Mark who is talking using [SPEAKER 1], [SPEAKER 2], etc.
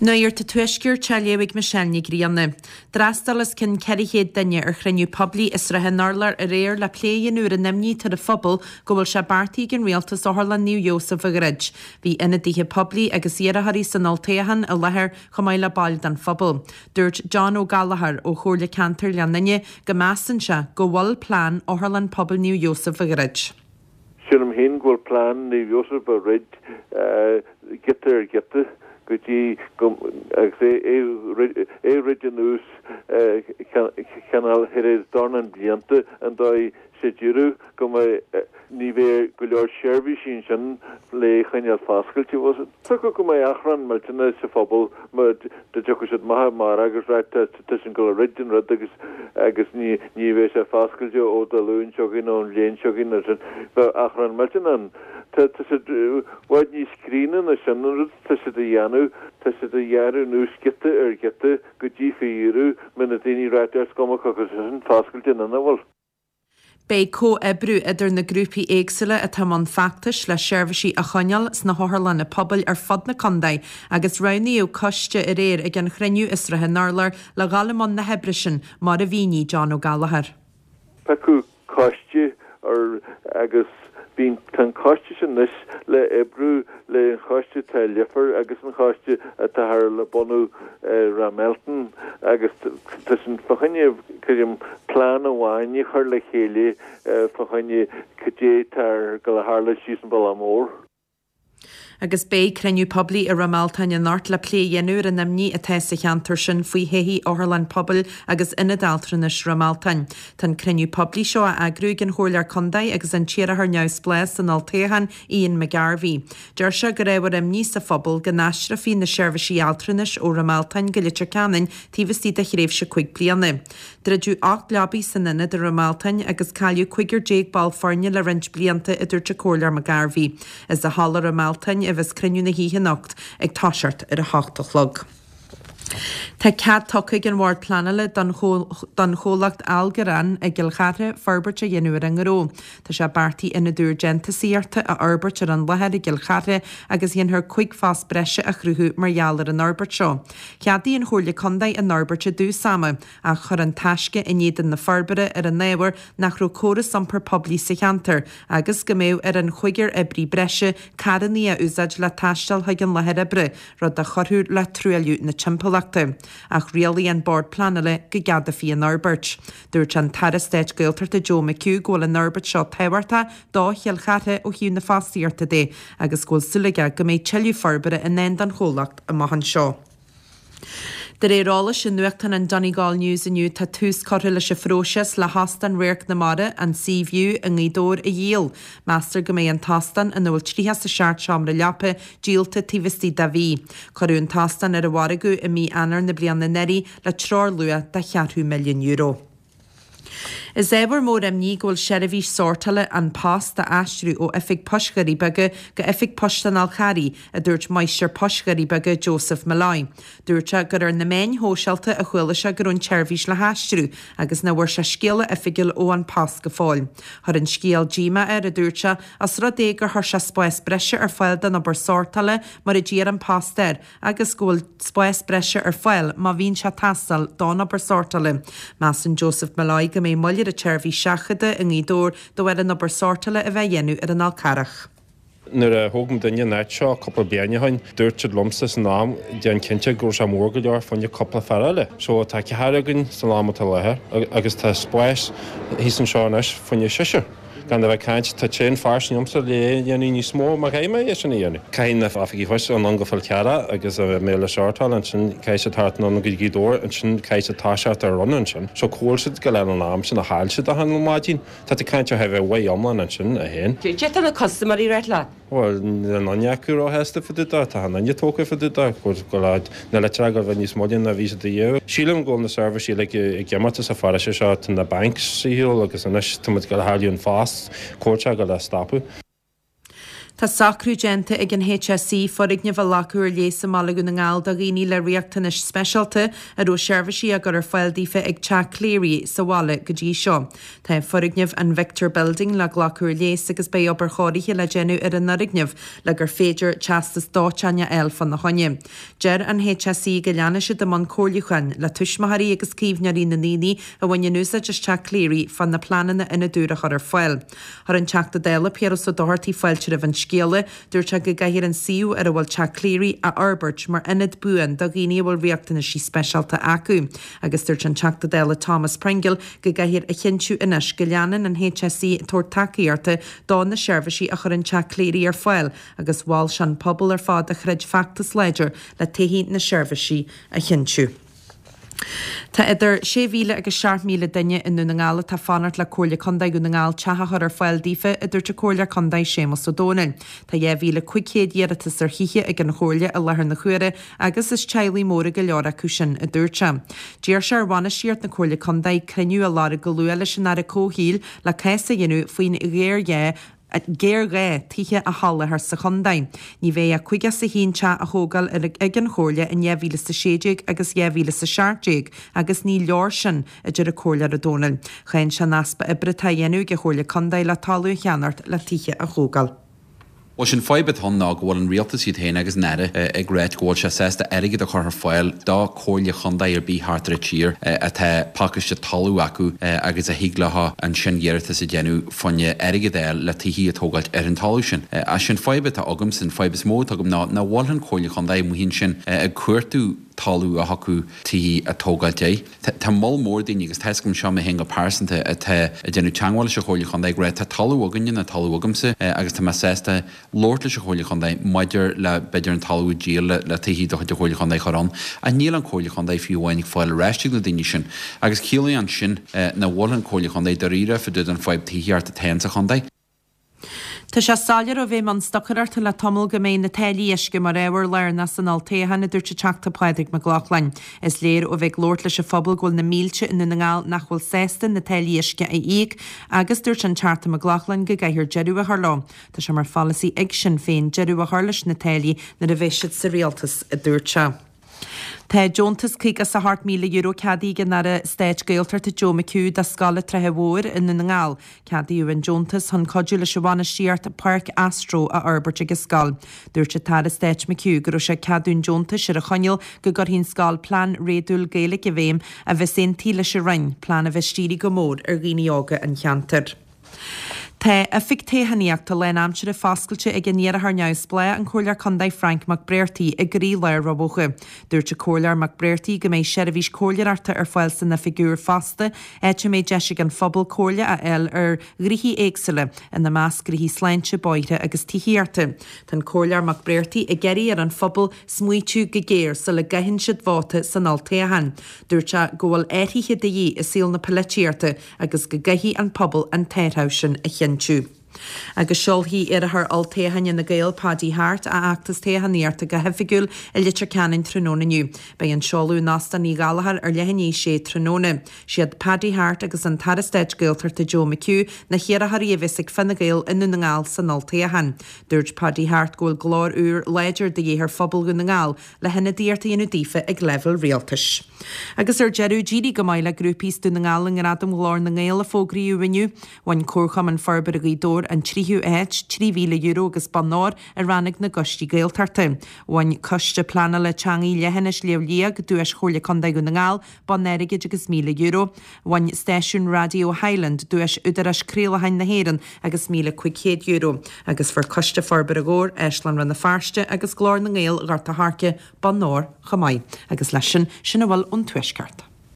[SPEAKER 1] Nuacht an Tuaiscirt á léamh ag Michelle Ní Ghrianna. D'fhreastail os cionn 400 duine ar chruinniú poiblí i Srath an Urláir aréir le plé a dhéanamh ar an imní atá ar an phobal go bhfuil sé beartaithe ag an Rialtas Otharlann Naomh Iósaf a dhruid. Bhí ionadaithe poiblí agus iarrthóirí san olltoghchán i láthair chomh maith le baill den phobal. Dúirt John Ó Gallchóir ó Chomhairle Ceantair Ghleann Fhinne go measann sé go bhfuil plean Otharlann Pobail Naomh Iósaf a dhruid.
[SPEAKER 2] Sílim féin go bhfuil plean Naomh Iósaf a dhruid giota ar ghiota go dtí go agus é é dhruid anuas cineál thar éis dornán blianta an dóigh sé d'iarraidh go mbeidh ní bheidh go leor seirbhísí ansin le choinneáil foscailte. Thiocfadh go mbeidh achrann millteanach sa phobal má dá dtiocfadh siad amach amárach agus ráit tá siad ag gabháil a dhruid an rud agus agus ní ní bheidh sé foscailte ó Dé Luain seo chugainn nó an bhliain seo chugainn nó sin. Bheadh achrann millteanach ann. Tá tá siad i bhfad níos críonna ná sin an rud tá siad a dhéanamh tá siad a ghearradh anuas giota ar ghiota go dtí faoi dheireadh mbeidh na daoine ag ráit is cuma cé acu sin foscailte nó nach bhfuil.
[SPEAKER 1] Beidh comhoibriú idir na grúpaí éagsúla atá i mbun feachtais le seirbhísí a choinneáil sna hotharlanna pobail ar fud na contae agus roghnaíodh coiste aréir ag an chruinniú i Srath an Urláir le dhul i mbun na hoibre sin, mar a mhínigh John Ó Gallchóir.
[SPEAKER 2] Piocadh coiste ar agus bíonn tá an coiste sin anois le oibriú le an choiste atá i Leifear agus an choiste atá thar le bunú i Ráth Mealtain agus tá sin fá choinne creidim plean amháin a chur le chéile fá choinne cad é atá ag gabháil a tharlú síos an bealach mór.
[SPEAKER 1] Agus beidh cruinniú poiblí i Ráth Mealtain anocht le plé a dhéanamh ar an imní atá sa cheantar sin faoi thodhchaí Otharlann Pobail agus Ionad Altranais Ráth Mealtain. Tá an cruinniú poiblí seo á eagrú ag an Chomhairleoir Contae agus an t-iarrthóir neamhspleách san olltoghchán, Ian McGarvey. Deir sé gur ábhar imní sa phobal go n-aistreofaí na seirbhísí altranais ó Ráth Mealtain go Leitir Ceanainn taobh istigh de thréimhse 5 bliana. Druideadh 8 leabaidh san ionad i Ráth Mealtain agus cailleadh 15 ball foirne le roinnt blianta, a dúirt an Comhairleoir McGarvey. Is i Halla Ráth Mealtain a bheas cruinniú na hoíche anocht ag toiseacht ar a hocht a chlog. Tá cead tugtha ag an Bhord Pleanála don chomhlacht Algorand i gCill Chartha forbairt a dhéanamh ar a ngnó. Tá sé beartaithe ionad úr déantúsaíochta a fhorbairt ar an láthair i gCill Chartha agus dhéanfar 5 phost breise a chruthú mar gheall ar an fhorbairt seo. Cheadaigh an Chomhairle Contae an fhorbairt i dtús ama ach chuir An Taisce in éadan na forbartha ar an ábhar nach raibh córas iompair poiblí sa cheantar agus go mbeadh ar an chúigear oibrí breise carranna a úsáid le taisteal chuig an láthair oibre, rud a chuirfeadh le truailliú na timpeallachta. Ach rialaigh an Bord Pleanála go gceadófaí an fhorbairt. Dúirt an tAire Stáit Gaeltachta Joe McHugh go bhfuil an fhorbairt seo tábhachtach do Chill Chartha ó thaobh na fostaíochta de agus go bhfuil súil aige go mbeidh tuilleadh forbartha i ndán don chomhlacht amach anseo. De réir eolais i nuachtán an Donegal News inniu tá tús curtha leis an phróiseas le hÓstán Radharc na Mara, an Sea View, i nGaoth Dobhair a dhíol. Meastar go mbeidh an t-óstán, ina bhfuil 37 seomra leapa, díolta taobh istigh de mhí. Cuireadh an t-óstán ar an mhargadh i mí Eanáir na bliana anuraidh le treoirluach de cheathrú milliún euro. Is ábhar mór imní go bhfuil seirbhís sórtála An Post á aistriú ó Oifig Poist Dhoirí Beaga go Oifig Poist an Fhál Charraigh, a dúirt Máistir Poist Dhoirí Beaga Joseph Molloy. Dúirt sé gur ar na meáin shóisialta a chuala sé go raibh an tseirbhís le haistriú agus nach bhfuair sé scéala oifigiúil ó An Post go fóill. Chuir an scéal díomá air, a dúirt sé, os rud é gur chuir sé spás breise ar fáil don obair sórtála mar a d'iarr An Post air agus go bhfuil spás breise ar fáil má bhíonn sé ag teastáil don obair sórtála. Measann Joseph Molloy go mbeidh moill ar an tseirbhís seachadta i nGaoth Dobhair de bharr an obair sórtála a bheith á dhéanamh ar an Fhál Carrach.
[SPEAKER 3] Nuair a thóg muidinne an áit seo cúpla bliain ó shin, dúirt siad liomsa san am, déan cinnte go raibh sé mór go leor fá choinne cúpla fear eile. So tá ceathrar againn san am atá i láthair agus tá spás thíos anseo anois fá choinne seisear. Gan a bheith ag caint, tá traein fairsing agamsa le é a dhéanamh níos mó má chaithfidh mé é sin a dhéanamh. Caithfidh na oifigigh poist anonn go Fál Carrach agus a mbeidh le sórtáil ansin, caithfidh siad thart anonn go Gaoth Dobhair ansin, caithfidh siad toiseacht ar run ansin. So cá bhfuil siad go leith an am sin a chaill siad achan maidin. Tá tú ag caint ar thar a bheith iomlán ansin, a fhéin.
[SPEAKER 4] Cé tá na custaiméirí ag ráit leat?
[SPEAKER 3] Bhuel, níl aon duine acu róshásta fá dtaobh de, tá achan duine tógtha fá dtaobh de, go bhfuil na litreacha ag bheith níos moille ná bhí siad riamh. Sílim go bhfuil na seirbhísí uilig ag imeacht as an pharóiste seo, tá na banks ar shiúl agus anois tá muid ag gabháil a chailleadh An Post, cá bhfuil sé ag gabháil a stopadh.
[SPEAKER 1] Tá socrú déanta ag an HSE foirgneamh a ghlacadh ar léas i mbaile Dhún na nGall do dhaoine le riachtanais speisialta a raibh seirbhísí á gcur ar fáil daofa ag Teach Cleary sa bhaile go dtí seo. Tá foirgneamh an Victor Building le glacadh ar léas agus beidh obair chóirithe le déanamh ar an fhoirgneamh le gur féidir teastas dóiteáin a fháil fána choinne. Deir an HSE go leanfaidh siad i mbun comhairliúcháin le tuismitheoirí agus caomhnóirí na ndaoine a bhaineann úsáid as Teach Cleary fá na pleananna ionad úr a chur ar fáil. Chuir an Teachta Dála Piaras Ó Dochartaigh fáilte roimh an scéala. Dúirt sé go gcaithfear an suíomh ar a bhfuil Teach Cleary a fhorbairt mar ionad buan do dhaoine a bhfuil riachtanaisí speisialta acu. Agus dúirt an Teachta Dála Thomas Pringle go gcaithfear a chinntiú anois go leanann an HSE ag tabhairt tacaíochta do na seirbhísí a chuireann Teach Cleary ar fáil agus mhol sé an pobal ar fad a throid feachtas láidir le todhchaí na seirbhísí a chinntiú. Tá idir 6,000 agus 7,000 duine i nDún na nGall atá ag fanacht le Comhairle Contae Dhún na nGall teach a chur ar fáil daofa, a dúirt an Comhairleoir Contae Séamus Ó Domhnaill. Tá 2,500 iarratas ar thithe ag an Chomhairle i láthair na huaire agus is teaghlaigh móra go leor acu sin, a dúirt sé. D'iarr sé ar bhainistíocht na Comhairle Contae cruinniú a lorg go luath leis an Aire Comhshaoil le cás a dhéanamh faoin ghéarghá géarghá tithe a sholáthar sa chontae. Ní bheidh ach 51 teach á thógáil ag an Chomhairle in 2016 agus 2017 agus ní leor sin, a deir an Comhairleoir Ó Domhnaill. Cháin sé an easpa oibre atá á dhéanamh ag an Chomhairle Contae le talamh a cheannacht le tithe a thógáil.
[SPEAKER 5] Bhuel, sin fadhb atá ann ná go bhfuil an rialtas iad féin agus an Aire ag ráit go bhfuil sé sásta airgead a chur ar fáil do comhairle chontae ar bith thart ar an tír atá pacáiste talamh acu agus a thig leo ansin iarratas a dhéanamh fá choinne airgead a fháil le tithí a tógáilt ar an talamh sin. Ach sin fadhb atá agamsa, an fadhb is mó atá agam ná nach bhfuil an Comhairle Chontae amuigh ansin ag cuartú talamh a thiocfadh tithí a tógáilt air. Tá moll mór daoine, agus tá 'fhios agam seo mé féin go pearsanta, atá ag déanamh teagmháil leis an Chomhairle Chontae ag rá tá talamh againne nó talamh agamsa agus tá mé sásta labhairt leis an Chomhairle Chontae maidir le b'fhéidir an talamh a dhíol le tithí de chuid an Chomhairle Chontae a chur ann. Ach níl an Comhairle Chontae fiú amháin ag fáil ar ais ag na daoine sin. Agus ciallaíonn sin nach bhfuil an Comhairle Chontae dáiríre fá dtaobh den fadhb tithíochta atá ann sa chontae.
[SPEAKER 1] Tá sé soiléir ó bheith i mbun stocaireachta le tamall go mbeidh na táillí uisce mar ábhar lárnach san olltoghchán, a dúirt an Teachta Pádraig Mac Lochlainn. Is léir ó bheith ag labhairt leis an phobal go bhfuil na mílte i nDún na nGall nach bhfuil sásta na táillí uisce a íoc agus dúirt an Teachta Mac Lochlainn go gcaithfear deireadh a chur leo. Tá sé mar pholasaí ag Sinn Féin deireadh a chur leis na táillí nuair a bheidh siad sa rialtas, a dúirt sé. Tá deontas €58,000 ceadaithe ag an Aire Stáit Gaeltachta Joe McHugh do Scoil an tSratha Mhóir i nDún na nGall. Ceadaíodh an deontas chun cuidiú leis an bhainistíocht Páirc Astro a fhorbairt ag an scoil. Dúirt an tAire Stáit McHugh go raibh sé ag ceadú an deontais ar an choinníoll go gcuirfidh an scoil plean réadúil Gaeilge i bhfeidhm a bheas aontaithe leis an Roinn, plean a bheas dírithe go mór ar dhaoine óga an cheantair. Tá oifig toghchánaíochta lánaimseartha foscailte ag an iarrthóir neamhspleách, an Comhairleoir Contae Frank McBrearty, i gcroílár Rath Bhoga. Dúirt an Comhairleoir McBrearty go mbeidh seirbhís comhairleoireachta ar fáil san oifig úr fosta, áit a mbeidh deis ag an phobal comhairle a fháil ar ghnoithí éagsúla, ina measc gnoithí sláinte, bóithre agus tithíochta. Tá an Comhairleoir McBrearty ag iarraidh ar an phobal smaoitiú go géar sula gcaitheann siad vóta san olltoghchán. Dúirt sé go bhfuil athruithe de dhíth i saol na polaitíochta agus go gcaithfidh an pobal an t-athrú sin a chinntiú. Agus seolfaidh iarrthóir olltoghcháin Fhine Gael, Paddy Harte, a fheachtas toghchánaíochta go hoifigiúil i Leitir Ceanainn tráthnóna inniu. Beidh an seoladh in Óstán Uí Ghallchóir ar leath i ndiaidh a sé tráthnóna. Siad Paddy Harte agus an tAire Stáit Gaeltachta Joe McHugh na hiarrthóirí a bheas ag Fine Gael i nDún na nGall san olltoghchán. Dúirt Paddy Harte go bhfuil glór úr láidir de dhíth ar phobal Dhún na nGall le hionadaíocht a dhéanamh daofa ag leibhéal rialtais. Agus ar deireadh, d'éirigh go maith le grúpaí as Dún na nGall i nGradaim Ghlór na nGael a fógraíodh inniu. Bhain Comharchumann Forbartha Ghaoth Dobhair an tríú háit, €3,000 agus bonn óir, i rannóg na gCoistí Gaeltachta. Bhain Coiste Pleanála Teanga Leithinis Shliabh Liag duais Chomhairle Contae Dhún na nGall, bonn airgid agus €1,000. Bhain stáisiún raidió Highland duais Údarás Craolacháin na hÉireann agus €1,500 agus fuair Coiste Forbartha Dhobhair, Áislann Rann na Feirste agus Glór na nGael Ghort a' Choirce bonn óir chomh maith. Agus leis sin, sin a bhfuil ón Tuaisceart.